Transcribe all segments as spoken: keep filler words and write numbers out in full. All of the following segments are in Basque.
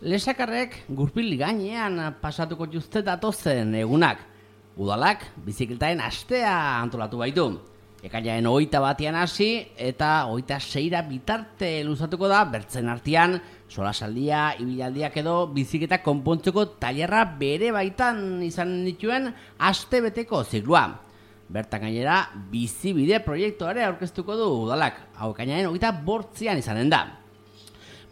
Lesakarrek gurpil gainean pasatuko juzte datozen egunak. Udalak bizikletaen astea antolatu baitu. Ekainaren hogeita batean hasi eta hogeita seira bitarte luzatuko da bertzen artean solasaldia, ibilaldiak edo bizikleta konpontzeko tailerra bere baitan izan dituen aste beteko ziklua. Bertan gainera bizibide proiektuare aurkeztuko du udalak. Hau ekainaren hogeita bortzian izanen da.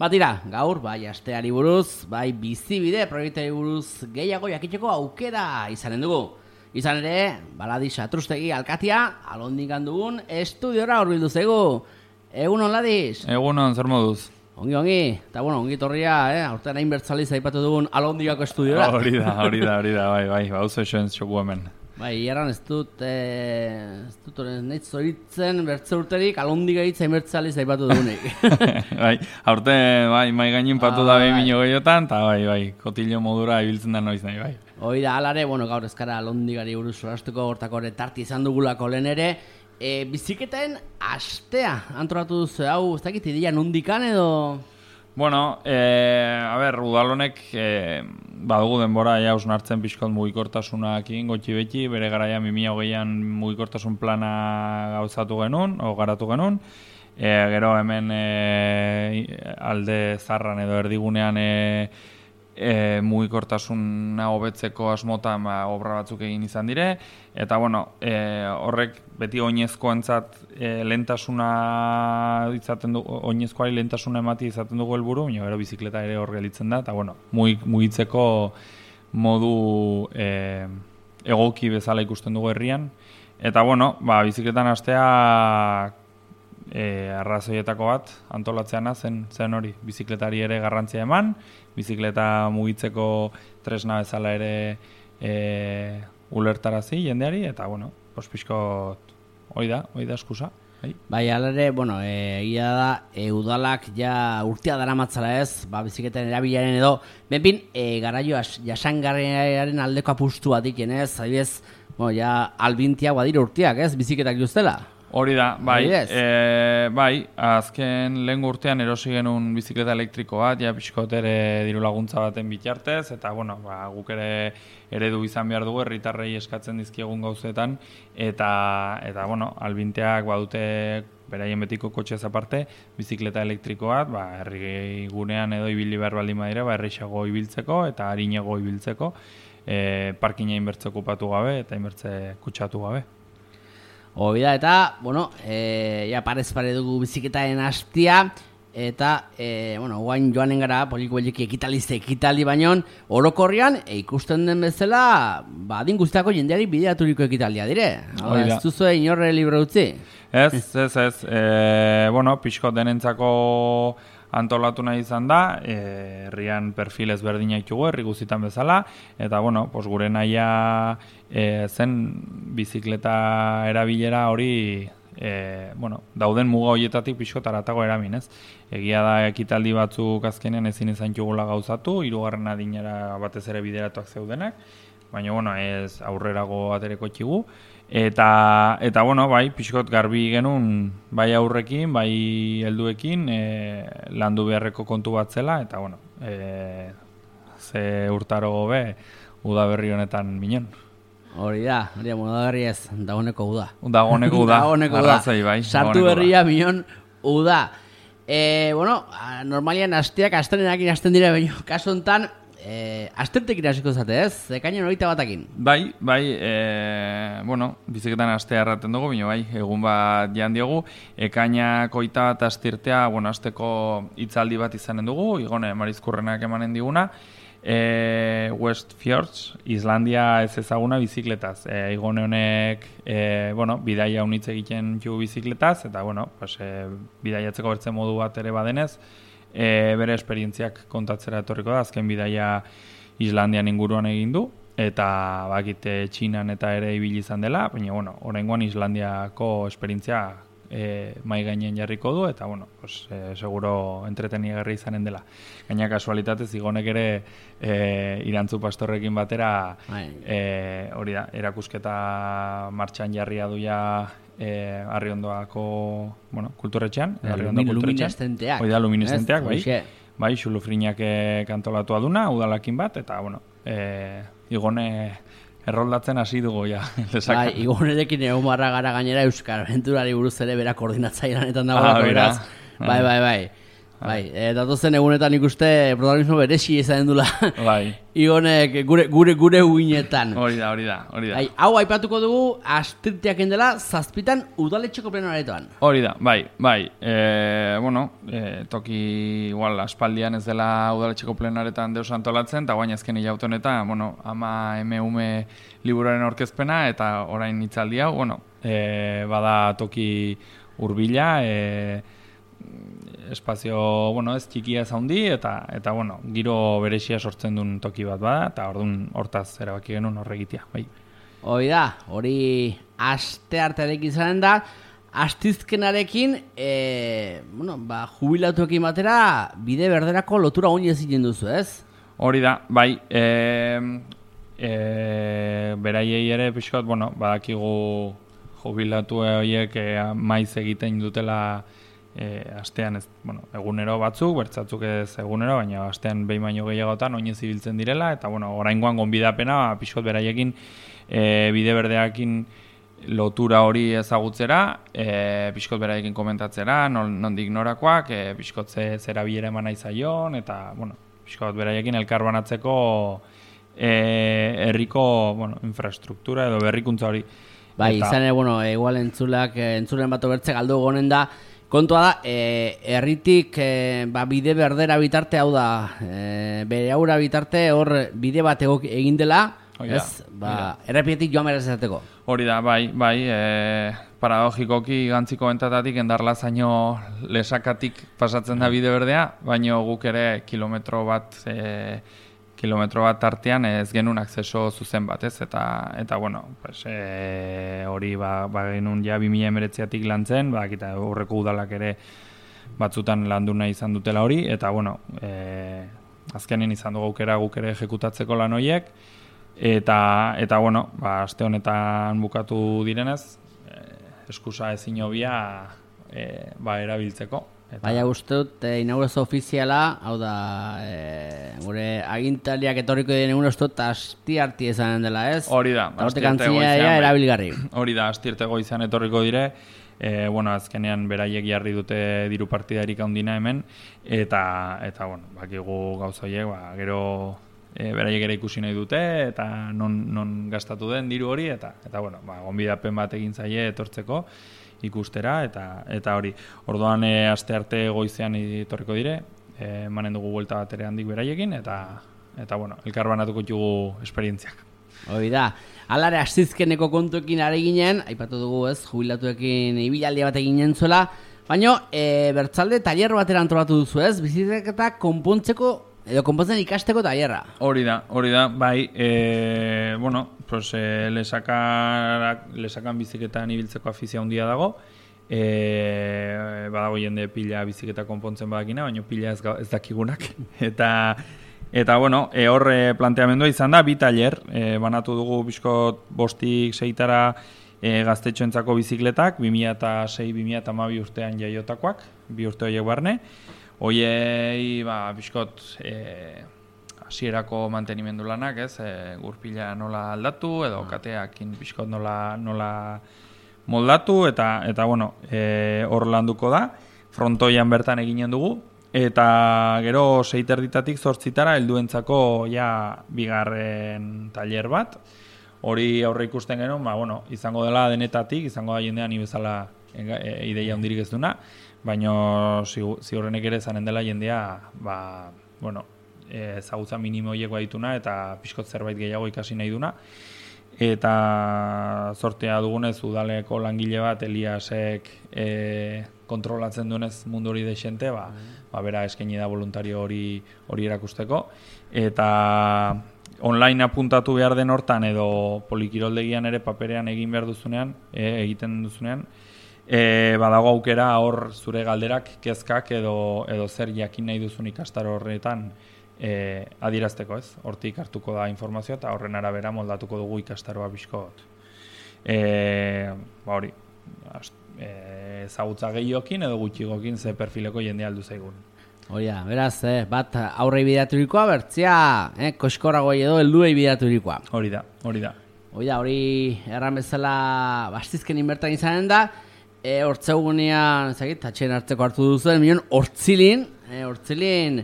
Batira, gaur bai asteari buruz, bai bizibide proiektuari buruz gehiago jakiteko aukera izanen dugu. Izan ere, Baladi Satrustegi alkatia, alondikan dugun estudiora horbildu zegu. Egunon, Ladis? Egunon, zer moduz? Ongi, ongi. Eta bueno, ongi torria, eh? Aurten hain bertzaliz aipatu dugun alondikako estudiora. Hori da, hori da, hori da, bai, bai, bauzu esoen txoku hemen. Bai, hierran ez dut, eh, ez dut horren nahi zoritzen bertze urterik alondika hitz hain bertzaliz aipatu dugunik. Bai, aurte, bai, mai gainin patu ah, da behin mino gehiotan, eta bai, bai, kotillo modura ibiltzen da noiz nahi, bai. Hoi da, alare, bueno, gaur ezkara alondigari buruz solastuko hortako tarti izan dugulako lehen ere, e, biziketaen astea antolatu duzu, hau, ez dakit ideia nondikan edo... Bueno, e, a ber, udalonek e, badugu denbora ja usnartzen pixkot mugikortasunakin gotxi beti, bere garaia bi mila hogeian mugikortasun plana gauzatu genuen, o garatu genuen, e, gero hemen e, alde zarran edo erdigunean e, E, mugikortasuna hobetzeko asmotan ba, obra batzuk egin izan dire, eta bueno, e, horrek beti oinezkoentzat e, lehentasuna izaten du, oinezkoari lehentasuna emati izaten dugu helburu, baina gero bizikleta ere hor gelitzen da, eta bueno, mugitzeko modu e, egoki bezala ikusten dugu herrian, eta bueno, ba, bizikletan hastea E, arrazoietako bat antolatzeana zen zen hori, bizikletari ere garrantzia eman, bizikleta mugitzeko tresna bezala ere e, ulertarazi jendeari, eta bueno, pospizkot hoi da, hoi da eskusa. Bai, bai alare, bueno, egia da, e, udalak ja urtea daramatzala ez, ba, bizikleten erabilaren edo, benpin, e, garaio jasangarriaren aldeko apustu bat iken ez, adibidez, bueno, ja albintiak badira urteak ez, bizikletak juztela. Hori da, bai, e, bai, azken lehen urtean erosi genuen bizikleta elektriko bat, ja pixkot ere diru laguntza baten bitartez, eta bueno, ba, guk ere eredu izan behar dugu, herritarrei eskatzen dizkiegun gauzetan, eta, eta bueno, albinteak badute beraien betiko kotxez aparte, bizikleta elektriko bat, ba, herri gunean edo ibili behar baldin badira, ba, erreixago ibiltzeko eta harinago ibiltzeko, e, parkina inbertze okupatu gabe eta inbertze kutsatu gabe. Hoi da, eta, bueno, e, ja parez pare dugu biziketaen hastia, eta, e, bueno, guain joanen gara, poliko beliki ekitalize ekitali bainon, orokorrian, e, ikusten den bezala, ba, adin guztiako jendeari bideaturiko ekitalia dire. Hala, ez duzue inorre libre utzi? Ez, ez, ez, e, bueno, pixko denentzako antolatu nahi izan da, e, herrian perfil ezberdina ditugu, herri guztietan bezala, eta bueno, pos gure nahia e, zen bizikleta erabilera hori e, bueno, dauden muga horietatik pixko taratago eramin, ez? Egia da ekitaldi batzuk azkenean ezin izan txugula gauzatu, hirugarren adinera batez ere bideratuak zeudenak, baina bueno, ez aurrerago atereko txigu. Eta, eta bueno, bai, pixkot garbi genuen, bai aurrekin, bai helduekin, e, landu beharreko kontu bat zela, eta bueno, e, ze urtaro gobe, udaberri honetan minen. Hori da, hori da, udaberri ez, dagoneko uda. Dagoneko uda, arrazoi, bai. Sartu berria minon uda. E, bueno, normalian asteak astrenekin hasten dira, baina kasu honetan, E, astentekin hasiko zate ez, ekainen hogeita batakin. Bai, bai, e, bueno, biziketan astea erraten dugu, baina bai, egun bat jan diogu, ekainak hogeita bat astirtea, bueno, asteko hitzaldi bat izanen dugu, igone Marizkurrenak emanen diguna, e, West Fjords, Islandia ez ezaguna bizikletaz. E, igone honek, e, bueno, bidaia unitz egiten ju bizikletaz, eta bueno, pues, e, bidaiatzeko bertzen modu bat ere badenez, E, bere esperientziak kontatzera etorriko da, azken bidaia Islandian inguruan egin du, eta bakite Txinan eta ere ibili izan dela, baina bueno, oraingoan Islandiako esperientzia e, mai gainen jarriko du, eta bueno, pues, e, seguro entretenigarri izanen dela. Gaina kasualitatez igonek ere e, Irantzu pastorrekin batera e, hori da, erakusketa martxan jarria duia eh, Arriondoako, bueno, kulturretxean, Arriondo kulturretxean. Luminescenteak. Hoi da, luminescenteak, bai. bai, xulufrinak kantolatu aduna, udalakin bat, eta, bueno, e, igone erroldatzen hasi dugu, ja, lesakan. Bai, igonerekin egon barra gara gainera Euskal Aventurari buruz ere bera koordinatzailanetan dagoelako, ah, beraz. Bai, bai, bai. Bai, e, datozen egunetan ikuste protagonismo beresi izan dula. Bai. Igonek gure gure gure uinetan. Hori da, hori da, hori da. Bai, hau aipatuko dugu Astirteak dela zazpitan udaletxeko plenoaretoan. Hori da, bai, bai. E, bueno, e, toki igual aspaldian ez dela udaletxeko plenoaretan deus antolatzen, eta guain azken hilaute honetan, bueno, ama eme ume liburuaren aurkezpena eta orain hitzaldi hau, bueno, e, bada toki hurbila, e, espazio, bueno, ez txikia ez handi eta eta bueno, giro berezia sortzen duen toki bat bada eta ordun hortaz erabaki genuen horregitea, bai. Hori da, hori asteartearekin izanen da, astizkenarekin, e, bueno, ba, jubilatuekin batera bide berderako lotura oin ezin duzu, ez? Hori da, bai, e, e, beraiei ere pixkot, bueno, badakigu jubilatu horiek e, maiz egiten dutela E, astean ez, bueno, egunero batzuk, bertzatzuk ez egunero, baina astean behin baino gehiagotan oinez ibiltzen direla, eta bueno, oraingoan gonbidapena pixkot beraiekin e, bide berdeakin lotura hori ezagutzera, e, pixkot beraiekin komentatzera, nondik norakoak, e, pixkot ze, zera bilera eman nahi zaion, eta bueno, pixkot beraiekin elkarbanatzeko e, herriko bueno, infrastruktura edo berrikuntza hori. Bai, eta, izan ere, bueno, igual entzulak, entzulen bat obertze galdu gonen da, kontua da, e, herritik e, ba, bide berdera bitarte, hau da, e, bere aura bitarte hor bide bat egin dela, Oida, ez, ba, errepietik joan behar ezateko. Hori da, bai, bai, e, paradogikoki gantziko bentatatik endarlazaino lesakatik pasatzen da bide berdea, baino guk ere kilometro bat, e, kilometro bat tartean ez genuen akzeso zuzen bat, ez, eta, eta bueno, pues, e, hori ba, ba genuen ja bi mila hemeretziatik lantzen, ba, eta horreko udalak ere batzutan landu nahi izan dutela hori, eta bueno, e, azkenen izan dugu aukera guk ere ejekutatzeko lan horiek, eta, eta bueno, ba, aste honetan bukatu direnez, e, eskusa ezin hobia e, ba, erabiltzeko. Eta... Baina uste dut, e, inaugurazio ofiziala, hau da, e, gure agintariak etorriko diren egun uste dut, astiarti ezanen dela, ez? Hori da, astiarte goizean. Erabilgarri. Hori da, astiarte goizean etorriko dire, e, bueno, azkenean beraiek jarri dute diru partidarik handina hemen, eta, eta bueno, bakigu gauza horiek, ba, gero e, beraiek ere ikusi nahi dute, eta non, non gastatu den diru hori, eta, eta bueno, ba, gonbidapen bat egin zaie etortzeko, ikustera, eta eta hori. Orduan e, aste arte goizean etorriko dire, e, emanen dugu buelta bat ere handik beraiekin, eta, eta bueno, elkarbanatuko dugu esperientziak. Hori da. Alare, astizkeneko kontuekin are ginen, aipatu dugu ez, jubilatuekin ibilaldi bat eginen zuela, baina e, bertzalde tailer batera antolatu duzu ez, bizikletak konpontzeko edo konpontzen ikasteko tailerra. Hori da, hori da, bai, e, bueno, pues, e, lesakak, lesakan biziketan ibiltzeko afizia handia dago, e, badago jende pila biziketa konpontzen badakina, baina pila ez, ez dakigunak, eta eta bueno, e, hor e, planteamendua izan da, bi tailer, e, banatu dugu bizkot bostik seitara e, gaztetxoentzako bizikletak, bi mila sei bi mila hamabi urtean jaiotakoak, bi urte horiek barne, hoiei, ba, bizkot, e, hasierako mantenimendu lanak, ez, e, gurpila nola aldatu, edo kateakin bizkot nola, nola moldatu, eta, eta bueno, e, hor landuko da, frontoian bertan eginen dugu, eta gero seiterditatik zortzitara helduentzako ja bigarren tailer bat, hori aurre ikusten genuen, ba, bueno, izango dela denetatik, izango da jendean bezala e, ideia hundirik ez duna, baina ziurrenek ere zanen dela jendea, ba, bueno, ezagutza minimoiek badituna eta pixkot zerbait gehiago ikasi nahi duna. Eta zortea dugunez udaleko langile bat Eliasek e, kontrolatzen duenez mundu hori dexente, ba, ba bera eskaini da voluntario hori hori erakusteko. Eta online apuntatu behar den hortan edo polikiroldegian ere paperean egin behar duzunean, e, egiten duzunean, E, badago aukera hor zure galderak, kezkak edo, edo zer jakin nahi duzun ikastaro horretan e, adierazteko, ez? Hortik hartuko da informazioa eta horren arabera moldatuko dugu ikastaroa bizkot. E, ba hori, ezagutza gehiokin edo gutxigokin ze perfileko jende aldu zaigun. Hori da, beraz, eh, bat aurrei bidaturikoa, bertzea, eh, koskorago edo helduei bidaturikoa. Hori da, hori da. Hori da, hori erran bezala bastizken inbertan izanen da, e, hortzeugunean, ezagit, atxeen hartzeko hartu duzuen, milion hortzilin, e, hortzilin,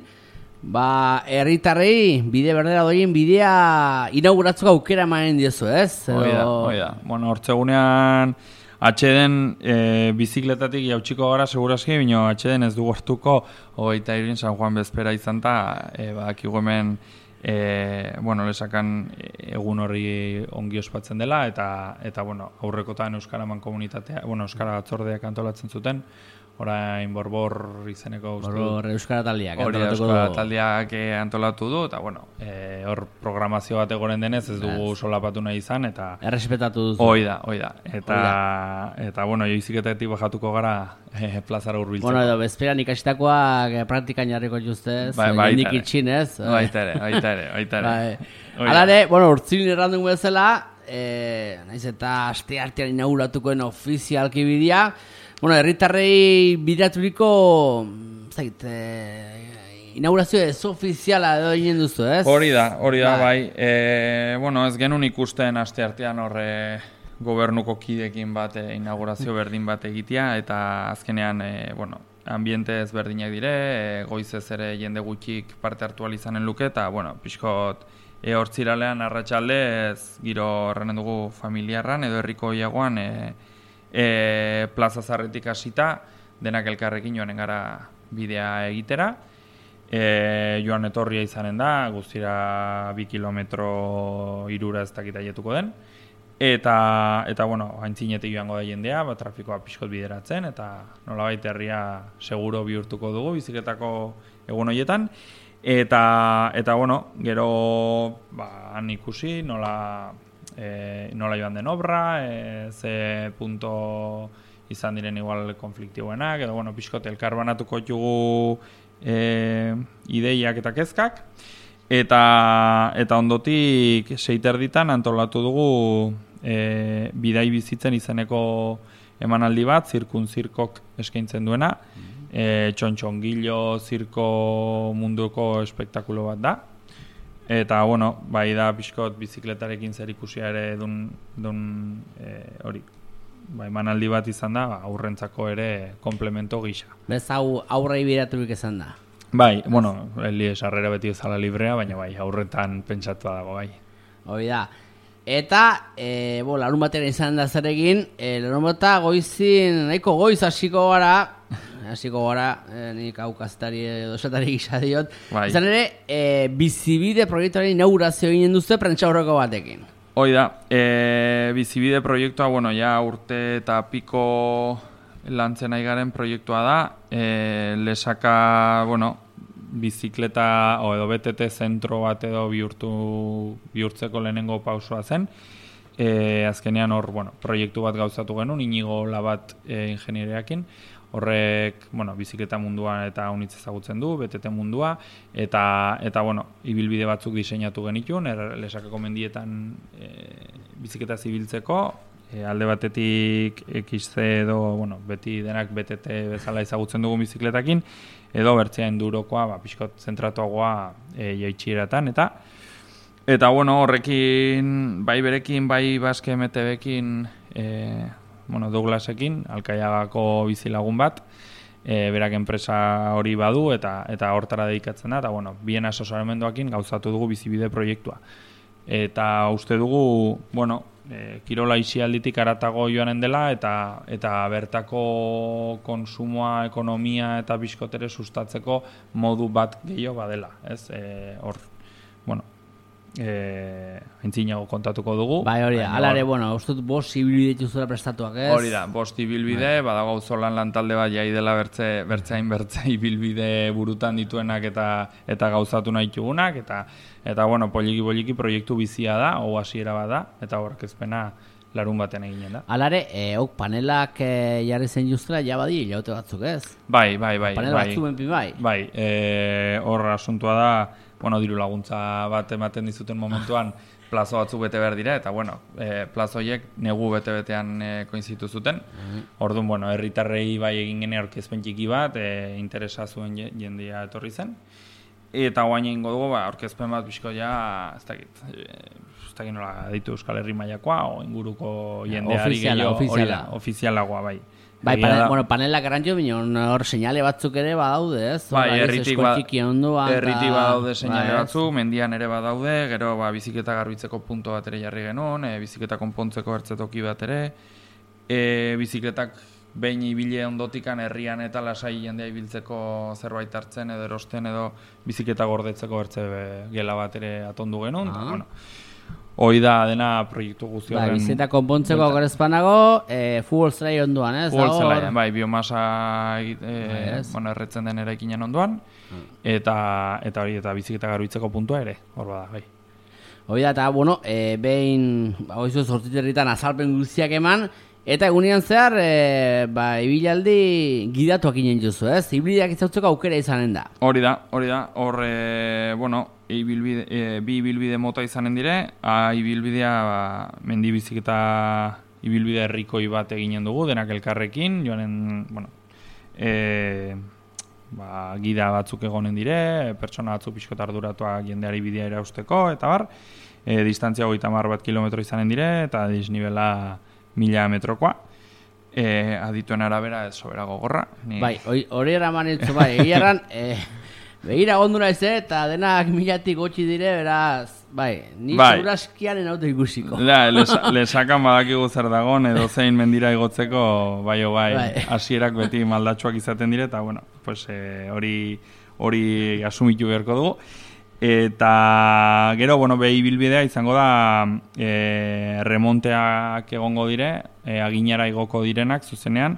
ba, herritarrei bide berdera doien bidea inauguratzeko aukera emanen diozu, ez? Hori da, hori da. Bueno, hortzeugunean atxeden e, bizikletatik jautsiko gara segurazki, bino atxeden ez du hartuko hogeita irin San Juan bezpera izan ta, e, badakigu hemen, E, bueno, lesakan egun horri ongi ospatzen dela eta eta bueno, aurrekotan Euskaraman komunitatea, bueno, Euskara batzordeak antolatzen zuten, orain Borbor izeneko uste dut. Borbor Euskara taldeak hori Euskara taldeak antolatu du eta bueno, e, hor programazio bat egoren denez ez dugu yes. solapatu nahi izan eta errespetatu duzu. Hoi da, hoi da. Eta eta bueno, joiziketatik bajatuko gara e, plazara hurbiltzeko. Bueno, edo bezperan ikasitakoak praktikan jarriko justez, bai, bai, jendik itxin, ez? Baita ere, baita ere, baita ere. Bai. Alare, bueno, urtzilin errandun bezala, eh, naiz eta aste artean inauguratukoen ofizialki bidea, bueno, herritarrei bidaturiko, zait, eh, inaugurazio ez ofiziala edo egin duzu, ez? Hori da, hori da, bai. E, bueno, ez genuen ikusten aste artean horre gobernuko kidekin bat e, inaugurazio berdin bat egitea, eta azkenean, e, bueno, ambiente ezberdinak dire, e, goizez ere jende gutxik parte hartu izanen luke, eta, bueno, pixkot, e, hortziralean arratsalde ez giro horren dugu familiarran, edo herriko iagoan, e, E, plaza zarretik hasita denak elkarrekin joanen gara bidea egitera. E, joan etorria izanen da, guztira bi kilometro irura ez dakit aietuko den. Eta, eta bueno, haintzinetik joango da jendea, ba, trafikoa pixkot bideratzen, eta nolabait herria seguro bihurtuko dugu bizikletako egun horietan. Eta, eta bueno, gero ba, han ikusi nola... E, nola joan den obra, e, ze punto izan diren igual konfliktiboenak, edo bueno, pixkot elkarbanatuko jugu e, ideiak eta kezkak, eta, eta ondotik seiterditan antolatu dugu e, bidai bizitzen izeneko emanaldi bat, zirkunzirkok eskaintzen duena, e, txontxongilo zirko munduko espektakulo bat da. Eta, bueno, bai da pixkot bizikletarekin zer ikusia ere dun, dun e, hori, bai manaldi bat izan da, aurrentzako ere komplemento gisa. Bez hau aurrei biraturik izan da? Bai, bueno, heli esarrera beti ezala librea, baina bai, aurretan pentsatua dago, bai. Hori da. Eta, e, bo, larun batera izan da zer egin, e, larun bata goizin, nahiko goiz hasiko gara, hasiko gara, eh, nik hau kazetari edo esatari gisa diot. Bai. Izan ere, e, bizibide proiektuaren inaugurazio eginen duzu prentsa aurreko batekin. Hoi da, e, bizibide proiektua, bueno, ja urte eta piko lantzen nahi garen proiektua da. E, lesaka, bueno, bizikleta o edo B T T zentro bat edo bihurtu, bihurtzeko lehenengo pausua zen. E, azkenean hor, bueno, proiektu bat gauzatu genuen, Inigo Labat e, ingenieriakin. Horrek, bueno, bizikleta mundua eta unitz ezagutzen du, B T T mundua, eta, eta bueno, ibilbide batzuk diseinatu genitun, er, lesakako mendietan e, bizikleta zibiltzeko, e, alde batetik X C edo, bueno, beti denak B T T bezala ezagutzen dugu bizikletakin, edo bertzea endurokoa, ba, pixkot zentratuagoa e, jaitxieratan, eta eta bueno, horrekin, bai berekin, bai Baske M T B-ekin, e, bueno, Douglasekin, Alkaiagako bizilagun bat, e, berak enpresa hori badu eta eta hortara dedikatzen da, eta bueno, bien asesoramenduakin gauzatu dugu bizibide proiektua. Eta uste dugu, bueno, e, kirola isialditik aratago joanen dela, eta eta bertako konsumoa, ekonomia eta biskotere sustatzeko modu bat gehiago badela, ez? E, hor, bueno, Eh, aintzinago kontatuko dugu. Bai, hori da. Alare, bueno, ustut bost ibilbide dituzura prestatuak, ez? Hori da, bost ibilbide, bai. Badago auzolan lantalde bat jai dela bertze, bertzeain bertze ibilbide burutan dituenak eta eta gauzatu nahi dugunak, eta, eta bueno, poliki-poliki proiektu bizia da, hau hasiera bat da, eta horkezpena larun baten eginen da. Alare, e, ok, panelak e, jarri zen justela, ja badi, jaute batzuk, ez? Bai, bai, bai. Panel bai, batzuk benpi bai. Bai, e, hor asuntua da, bueno, diru laguntza bat ematen dizuten momentuan plazo batzuk bete behar dira, eta bueno, e, plazo horiek negu bete-betean e, koinzitu zuten. Mm-hmm. Orduan, bueno, herritarrei bai egin gene aurkezpen txiki bat, e, interesa zuen jendea etorri zen. Eta guain egingo dugu, ba, aurkezpen bat bizko ja, ez dakit, ez dakit nola ditu Euskal Herri mailakoa, o inguruko jendeari gehiago, hori da, ofizialagoa, bai. Bai, panel, bueno, panela garantio bineon hor seinale batzuk ere badaude, ez? Bai, erritik ba, erritik badaude seinale bai, batzuk, mendian ere badaude, gero ba, biziketa garbitzeko punto bat ere jarri genuen, e, biziketa konpontzeko ertzetoki bat ere, e, biziketak behin ibile ondotikan herrian eta lasai jendea ibiltzeko zerbait hartzen edo erosten edo biziketa gordetzeko ertze gela bat ere atondu genuen, ah. Bueno, hoi da dena proiektu guzti horren. Bai, biziketa konpontzeko gorezpanago, e, futbol zelai onduan, ez? Futbol zelai, bai, biomasa e, bai, bueno, erretzen den eraikinen onduan, hmm. eta eta hori eta biziketa garbitzeko puntua ere, hor bada, bai. Hoi da, eta, bueno, e, behin, hoizu zortziterritan azalpen guztiak eman, eta egunean zehar, e, ba, ibilaldi gidatuak inen juzu, ez? Ibiliak izautzeko aukera izanen da. Hori da, hori da, hor, e, bueno, ibilbide, e, bi ibilbide mota izanen dire, a ibilbidea ba, mendi biziketa ibilbide herrikoi bat eginen dugu, denak elkarrekin, joanen, bueno, e, ba, gida batzuk egonen dire, pertsona batzuk pixkot arduratuak jendeari bidea erausteko, eta bar, e, distantzia hogeita hamar bat kilometro izanen dire, eta disnibela mila metrokoa. E, adituen arabera ez sobera gogorra. Ni... Bai, hori eraman itzu, bai, egiaran, e, begira gonduna ez, eta denak milatik gotxi dire, beraz, bai, ni bai. Zuraskiaren auto ikusiko. Da, lesakan badakigu zer dagon, edo zein mendira igotzeko, bai, o bai, hasierak bai. Beti maldatxoak izaten dire, eta, bueno, pues, hori hori asumitu beharko dugu. Eta gero, bueno, behi bilbidea izango da e, remonteak egongo dire, e, aginara igoko direnak zuzenean,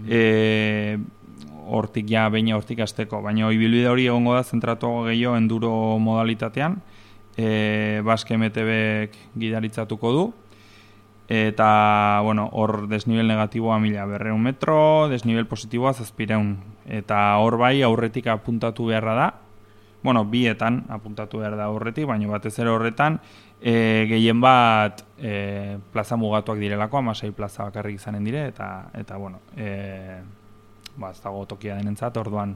e, hortik ja, beina hortik azteko, baina ibilbide hori egongo da zentratu gehiago enduro modalitatean, e, Basque M T Bek gidaritzatuko du, eta, bueno, hor desnivel negatiboa mila berreun metro, desnivel positiboa zazpireun, eta hor bai aurretik apuntatu beharra da, bueno, bietan apuntatu behar da horretik, baina batez ere horretan e, gehien bat e, plaza mugatuak direlako, amasei plaza bakarrik izanen dire, eta, eta bueno, e, ba, ez dago tokia denentzat, orduan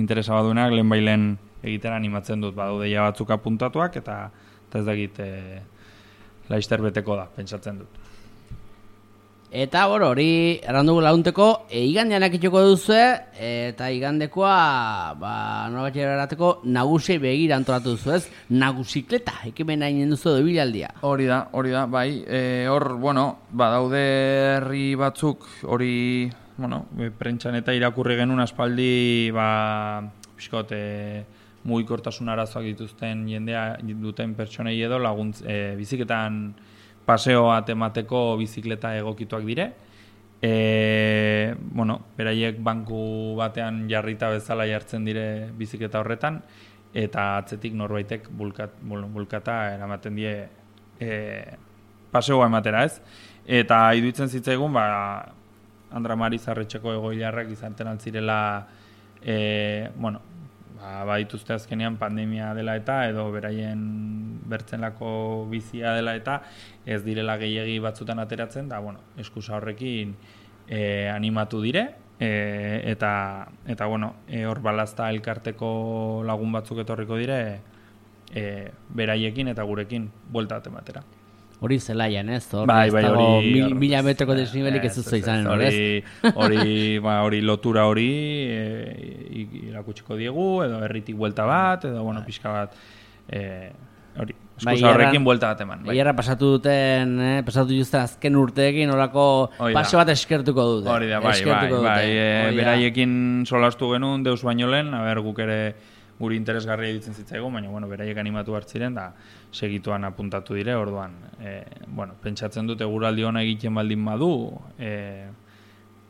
interesa baduenak lehen bailen egitera animatzen dut, badu deia batzuk apuntatuak, eta, eta ez dakit e, laizter beteko da, pentsatzen dut. Eta, bueno, hori errandugu launteko, e, igandean akitxoko duzue, eta igandekoa, ba, norabatxera erateko, nagusi begira antolatu duzu, ez? Nagusikleta, ekimen nahi duzu edo bilaldia. Hori da, hori da, bai, e, hor, bueno, badaude herri batzuk, hori, bueno, prentxan eta irakurri genuen aspaldi, ba, pixkot, e, mugikortasun arazoak dituzten jendea duten pertsonei edo laguntz, e, biziketan, paseoa temateko bizikleta egokituak dire. E, bueno, beraiek banku batean jarrita bezala jartzen dire bizikleta horretan, eta atzetik norbaitek bulkat, bulkata eramaten die e, paseoa ematera, ez? Eta iduitzen zitzaigun, ba, Andra Mari Zarretxeko egoilarrak izaten altzirela, e, bueno, ba, badituzte azkenean pandemia dela eta edo beraien bertzenlako bizia dela eta ez direla gehiegi batzutan ateratzen, da, bueno, eskusa horrekin e, animatu dire, e, eta, eta bueno, e, hor balazta elkarteko lagun batzuk etorriko dire, e, beraiekin eta gurekin buelta ematera. Hori zelaian, ez? Hor, bai, bai, hori... Mil, mila metroko desnibelik ez duzu izanen, hori, ez? Hori, ba, hori lotura hori e, irakutsiko diegu, edo herritik buelta bat, edo, bueno, pixka bat, e, hori, eskusa horrekin buelta bat eman. Bai, erra pasatu duten, eh, pasatu justen azken urteekin, horako paseo bat eskertuko dute. Hori da, bai, bai, bai, e, beraiekin solastu genuen, deus baino lehen, haber, guk ere guri interesgarria ditzen zitzaigu, baina, bueno, beraiek animatu hartziren, da, segituan apuntatu dire, orduan, e, bueno, pentsatzen dute eguraldi ona egiten baldin badu, e,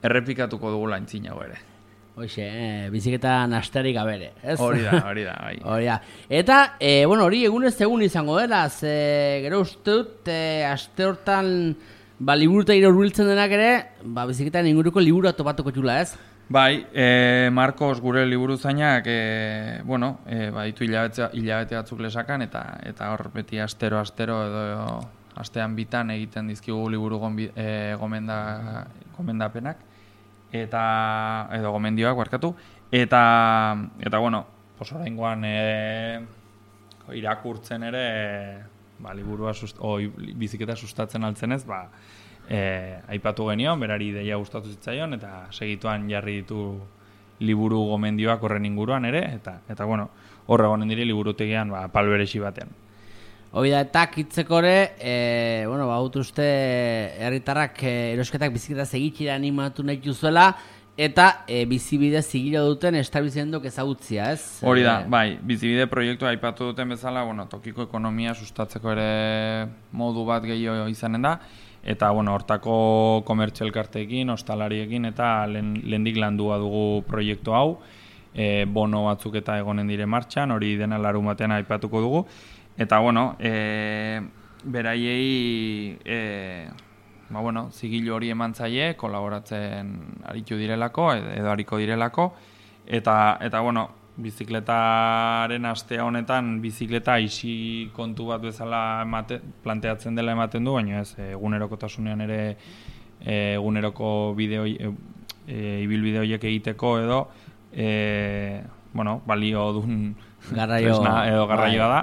errepikatuko dugu laintzinago ere. Hoxe, eh, biziketa nasterik gabere, ez? Hori da, hori da, bai. Hori da. Eta, e, bueno, hori egunez egun izango dela, ze, gero uste dut, e, aste hortan, ba, liburuta ire urbiltzen denak ere, ba, biziketan inguruko liburu topatuko txula, ez? Bai, e, Marcos gure liburuzainak, e, bueno, e, baditu hilabete, hilabete batzuk lesakan, eta eta hor beti astero-astero edo astean bitan egiten dizkigu liburu gombi, e, gomenda, gomendapenak, eta, edo gomendioak barkatu, eta, eta bueno, pos oraingoan e, irakurtzen ere, e, ba, liburua sust, o, biziketa sustatzen altzenez, ba, E, aipatu genion, berari ideia gustatu zitzaion, eta segituan jarri ditu liburu gomendioak horren inguruan ere, eta, eta bueno, horre gonen diri liburutegian ba, palberesi batean. Hoi da, eta kitzeko ere, e, bueno, ba, uste herritarrak e, erosketak biziketa segitxera animatu nahi duzuela, eta e, bizibide zigilo duten establizendok ezagutzia, ez? Hori da, bai, bizibide proiektua aipatu duten bezala, bueno, tokiko ekonomia sustatzeko ere modu bat gehiago izanen da, eta bueno, hortako komertzio elkarteekin, ostalariekin eta lehendik landua dugu proiektu hau, e, bono batzuk eta egonen dire martxan, hori dena larun batean aipatuko dugu, eta bueno, e, beraiei e, ba, bueno, zigilo hori eman zaie, kolaboratzen aritu direlako, edo ariko direlako, eta, eta bueno, bizikletaren astea honetan bizikleta isi kontu bat bezala emate, planteatzen dela ematen du, baina ez egunerokotasunean ere eguneroko bideo e, e, ibilbide horiek egiteko edo e, bueno, balio dun garraio, tresna edo garraioa da.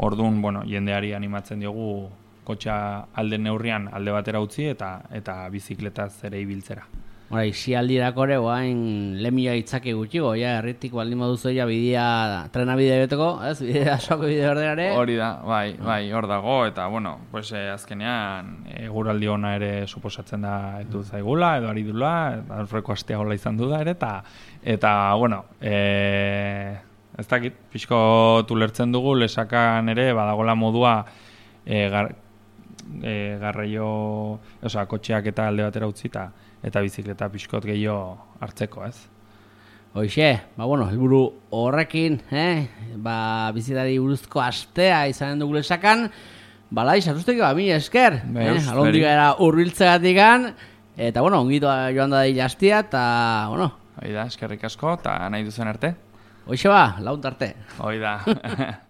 Orduan, bueno, jendeari animatzen diogu kotxa alde neurrian alde batera utzi eta eta bizikletaz ere ibiltzera. Hora, isi aldirako ere, guain lemia itzake gutxigo, ja, erritik baldin baduzu ja bidea, trena bidea beteko, ez, bidea asoako bidea berdenare. Hori da, bai, bai, hor dago, eta, bueno, pues, eh, azkenean, eguraldi ona ere suposatzen da edu zaigula, edo ari dula, aurreko astea gola izan du da ere, eta, eta bueno, e, ez dakit, pixko tulertzen dugu, lesakan ere, badagola modua, e, gar, e, garraio, oza, kotxeak eta alde batera utzi, eta eta bizikleta pixkot gehiago hartzeko, ez? Hoixe, ba bueno, helburu horrekin, eh, ba bizitari buruzko astea izanen dugu lesakan, balai sartusteki ba mi esker, eh, alondik era hurbiltzeagatikan, eta bueno, ongito joan da dira astia eta bueno, hori da, eskerrik asko eta nahi duzen arte. Hoixe ba, launt arte. Hori da.